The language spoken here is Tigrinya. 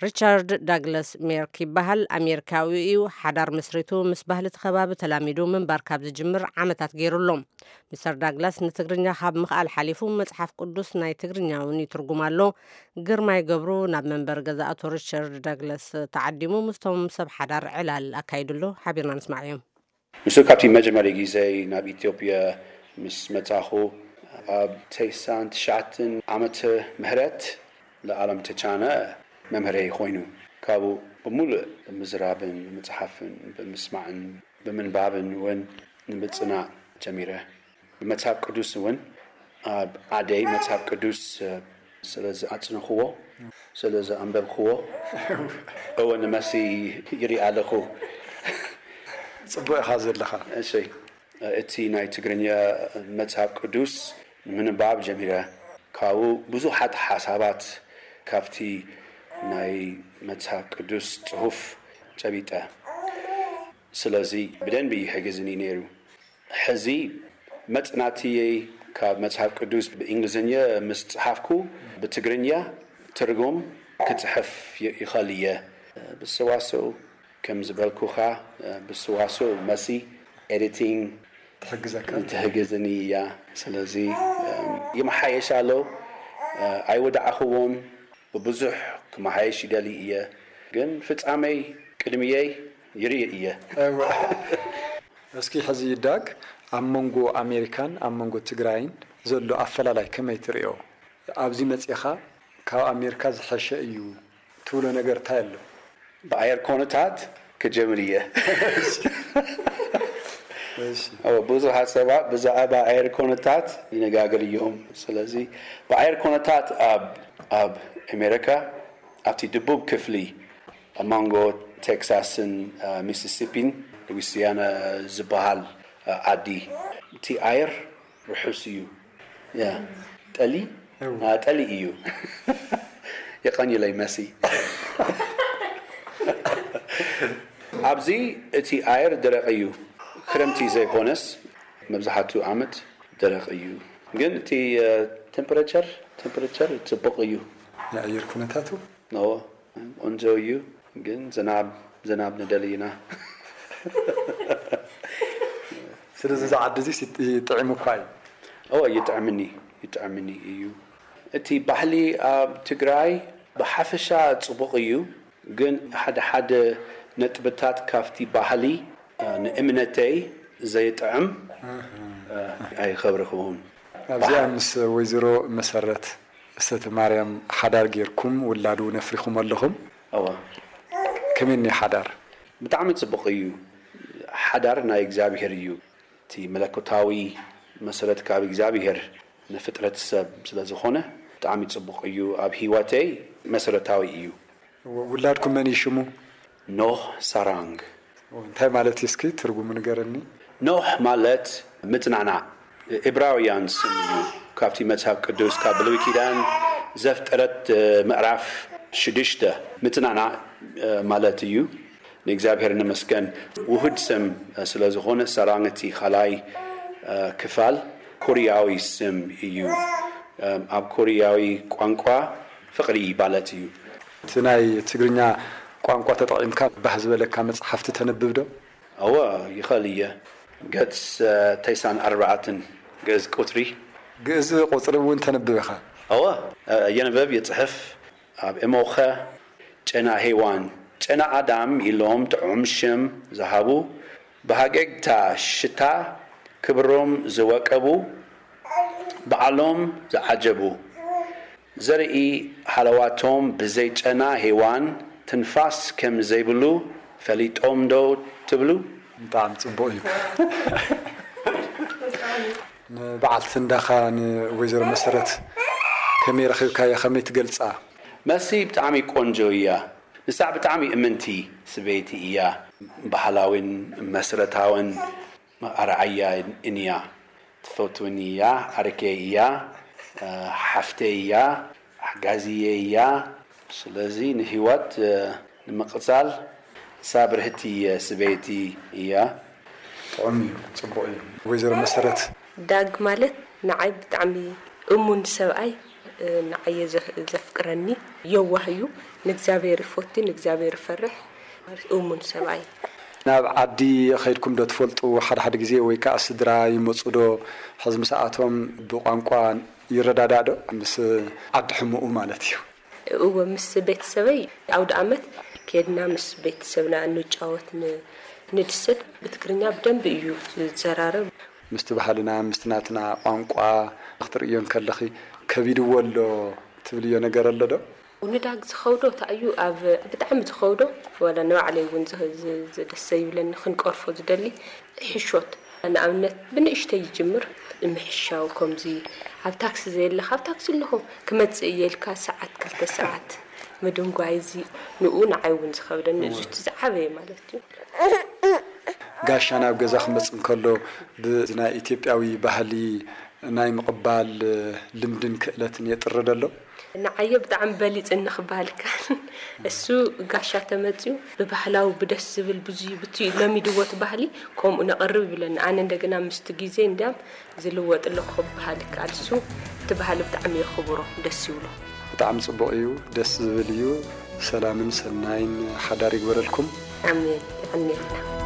ሪቻርድ ዳግላስ ሜርክ ይበሃል። ኣሜሪካዊ እዩ። ሓዳር መስሪቱ ምስ ባህሊ እቲ ከባቢ ተላሚዱ ምንባር ካብ ዝጅምር ዓመታት ገይሩ ኣሎ። ሚስተር ዳግላስ ንትግርኛ ካብ ምኽኣል ሓሊፉ መጽሓፍ ቅዱስ ናይ ትግርኛ እውን ይትርጉም ኣሎ። ግርማይ ገብሩ ናብ መንበሪ ገዛ ኣቶ ሪቻርድ ዳግላስ ተዓዲሙ ምስቶም ሰብ ሓዳር ዕላል ኣካይዱ ኣሎ። ሓቢርና ንስማዕዮም። ንሱ ካብቲ መጀመሪ ግዜ ናብ ኢትዮጵያ ምስ መጻኹ ኣብ ተስዓን ትሽዓተን ዓመተ ምህረት ለዓለም ተቻነ መምህረይ ኮይኑ ካብኡ ብምሉእ ብምዝራብን ብምጽሓፍን ብምስማዕን ብምንባብን እውን ንምጽናዕ ጀሚረ። ብመጽሓፍ ቅዱስ እውን ኣብ ዓደይ መጽሓፍ ቅዱስ ስለ ዝኣጽንኽዎ ስለ ዝኣንበብክዎ እወ ንመሲ ይርኢ ኣለኹ። ጽቡቕ ኢኻ ዘለኻ። እሺ፣ እቲ ናይ ትግርኛ መጽሓፍ ቅዱስ ንምንባብ ጀሚረ። ካብኡ ብዙሓት ሓሳባት ካብቲ ናይ መጽሓፍ ቅዱስ ጽሑፍ ጨቢጠ። ስለዚ ብደንቢ ይሕግዝኒ ነይሩ። ሕዚ መጽናትየይ ካብ መጽሓፍ ቅዱስ ብእንግሊዝኛ ምስ ጸሓፍኩ ብትግርኛ ትርጉም ክጽሕፍ ይኸል እየ። ብሰዋስው ከም ዝበልኩኻ ብሰዋስው መሲ ኤዲቲንግ ትሕግዘካ። ትሕግዝኒ እያ። ስለዚ ይመሓየሽ ኣሎ። ኣይወዳዕኽዎን። ብብዙሕ ክመሓየሽ ይደሊ እየ። ግን ፍጻመይ ቅድሚየይ ይርኢ እየ። እስኪ ሕዚ ዳግ ኣብ መንጎ ኣሜሪካን ኣብ መንጎ ትግራይን ዘሎ ኣፈላላይ ከመይ ትርእዮ? ኣብዚ መጺኻ ካብ ኣሜሪካ ዝሐሸ እዩ ትብሎ ነገር እንታይ ኣሎ? ብኣየር ኮነታት ክጀምር እየ። እሺ። ብዙሓት ሰባት ብዛዕባ ኣየር ኮነታት ይነጋገር እዮም። ስለዚ ብኣየር ኮነታት ኣብ ኣብ ኣሜሪካ ኣብቲ ደቡብ ክፍሊ ኣብ መንጎ ቴክሳስን ሚሲሲፒን ሉዊሲያና ዝበሃል ዓዲ እቲ ኣየር ርሑስ እዩ። ያ ጠሊ ጠሊ እዩ። የቐንየለይ መሲ። ኣብዚ እቲ ኣየር ደረቕ እዩ። ክረምቲ ዘይኮነስ መብዛሕትኡ ዓመት ደረቕ እዩ። ግን እቲ ቴምፕሬቸር ቴምፕሬቸር ጽቡቕ እዩ። የኣየር ኩነታቱ ነዎ ቆንጆ እዩ። ግን ዝናብ ዝናብ ንደሊ ኢና። ስለዚ እዚ ዓዲ እዚ ይጥዕም እኳ እዩ። ኦ ይጥዕምኒ ይጥዕምኒ እዩ። እቲ ባህሊ ኣብ ትግራይ ብሓፈሻ ጽቡቕ እዩ። ግን ሓደ ሓደ ነጥብታት ካብቲ ባህሊ ንእምነተይ ዘይጥዕም ኣይኸብርኽውን። ኣብዚኣ ምስ ወይዘሮ መሰረት እሰተ ማርያም ሓዳር ጌርኩም ውላድ እውን ኣፍሪኹም ኣለኹም። እወ ከመይ እኒኦ ሓዳር? ብጣዕሚ ጽቡቕ እዩ። ሓዳር ናይ እግዚኣብሔር እዩ። እቲ መለኮታዊ መሰረት ካብ እግዚኣብሔር ንፍጥረት ሰብ ስለ ዝኾነ ብጣዕሚ ጽቡቕ እዩ። ኣብ ህይወተይ መሰረታዊ እዩ። ውላድኩም መን እዩ ሽሙ? ኖህ ሳራንግ። እንታይ ማለት እዩ እስኪ ትርጉሙ ንገረኒ። ኖህ ማለት ምጽናዕናዕ። እብራውያን ስም እዩ። ካብቲ መጽሓፍ ቅዱስ ካብ ብሉይ ኪዳን ዘፍጥረት ምዕራፍ ሽዱሽተ ምጽናዕናዕ ማለት እዩ። ንእግዚኣብሔር ንመስገን። ውሁድ ስም ስለ ዝኾነ ሰራንግ እቲ ካልኣይ ክፋል ኮርያዊ ስም እዩ። ኣብ ኮርያዊ ቋንቋ ፍቕሪ ማለት እዩ። እቲ ናይ ትግርኛ ቋንቋ ተጠቒምካ ባህ ዝበለካ መጽሓፍቲ ተንብብ ዶ? እወ ይኸል እየ። ገጽ ተስዓን ኣርባዕተን ግእዝ ቁጽሪ። ግእዝ ቁጽሪ እውን ተንብብ ኢኻ? እወ የንበብ የጽሕፍ። ኣብ እሞኸ ጨና ሄዋን ጨና ኣዳም ኢሎም ጥዑም ሽም ዝሃቡ ብሃገግታ ሽታ ክብሮም ዝወቀቡ ባዕሎም ዝዓጀቡ ዘርኢ ሃለዋቶም ብዘይ ጨና ሄዋን ትንፋስ ከም ዘይብሉ ፈሊጦም ዶ ትብሉ? ብጣዕሚ ጽቡቕ እዩ። ንበዓልቲ እንዳኻ ንወይዘሮ መሰረት ከመይ ረኺብካያ? ከመይ ትገልጻ? መሲ ብጣዕሚ ቆንጆ እያ። ንሳ ብጣዕሚ እምንቲ ስበይቲ እያ። ባህላዊን መሰረታዊን ኣርኣያ እንያ። ትፈትውኒ እያ፣ ዓርከይ እያ፣ ሓፍተይ እያ፣ ሓጋዚየይ እያ። ስለዚ ንህይወት ንምቕጻል እሳ ብርህቲ ስበይቲ እያ። ጥዑም እዩ፣ ጽቡቕ እዩ። ወይዘሮ መሰረት። ዳግ ማለት ንዓይ ብጣዕሚ እሙን ሰብኣይ፣ ንዓየ ዘፍቅረኒ፣ የዋህ እዩ። ንእግዚኣብሔር ይፎቲ፣ ንእግዚኣብሔር ይፈርሕ፣ እሙን ሰብኣይ። ናብ ዓዲ ኸይድኩም ዶ ትፈልጡ? ሓደ ሓደ ግዜ ወይ ከዓ ስድራ ይመፁ ዶ? ሕዚ ምስኣቶም ብቋንቋ ይረዳዳእ ዶ? ምስ ዓዲ ሕሙኡ ማለት እዩ። እወ፣ ምስ ቤተሰበይ ኣውደ ኣመት ከድና ምስ ቤተሰብና እንጫወት፣ ንድሰት። ብትግርኛ ብደንብ እዩ ዝዘራረብ። ምስቲ ባህልና ምስቲ ናትና ቋንቋ ክትርእዮ እንከለኺ ከቢድዎ ኣሎ ትብልዮ ነገር ኣሎ ዶ? ንዳግ ዝኸብዶ እንታይ እዩ? ኣብ ብጣዕሚ ዝኸብዶ፣ ዋላ ንባዕለይ እውን ዘደስ ዘይብለኒ፣ ክንቀርፎ ዝደሊ ሕሾት። ንኣብነት ብንእሽተይ ይጅምር። ምሕሻው ከምዚ ኣብ ታክሲ ዘየለኻ፣ ኣብ ታክሲ ኣለኹ ክመጽእ እየ ኢልካ ሰዓት ክልተ ሰዓት ምድንጓይ፣ እዚ ንኡ ንዓይ እውን ዝኸብደኒ፣ እዚ እቲ ዝዓበየ ማለት እዩ። ጋሻ ናብ ገዛ ክመጽእ እንከሎ ብናይ ኢትዮጵያዊ ባህሊ ናይ ምቕባል ልምድን ክእለትን የጥሪ ዶ ኣሎ? ንዓየ ብጣዕሚ በሊጽኒ ክበሃል ይከኣል። እሱ ጋሻ ተመጽዩ ብባህላዊ ብደስ ዝብል ብዙ ብቲ ለሚድዎ እቲ ባህሊ ከምኡ ነቕርብ ይብለኒ። ኣነ እንደገና ምስቲ ግዜ እንዲያም ዝልወጥ ኣለኹ ክበሃል ይከኣል። እሱ እቲ ባህሊ ብጣዕሚ የኽብሮ፣ ደስ ይብሎ። ብጣዕሚ ጽቡቕ እዩ፣ ደስ ዝብል እዩ። ሰላምን ሰናይን ሓዳር ይግበረልኩም። ኣሜን። የቐንየልና።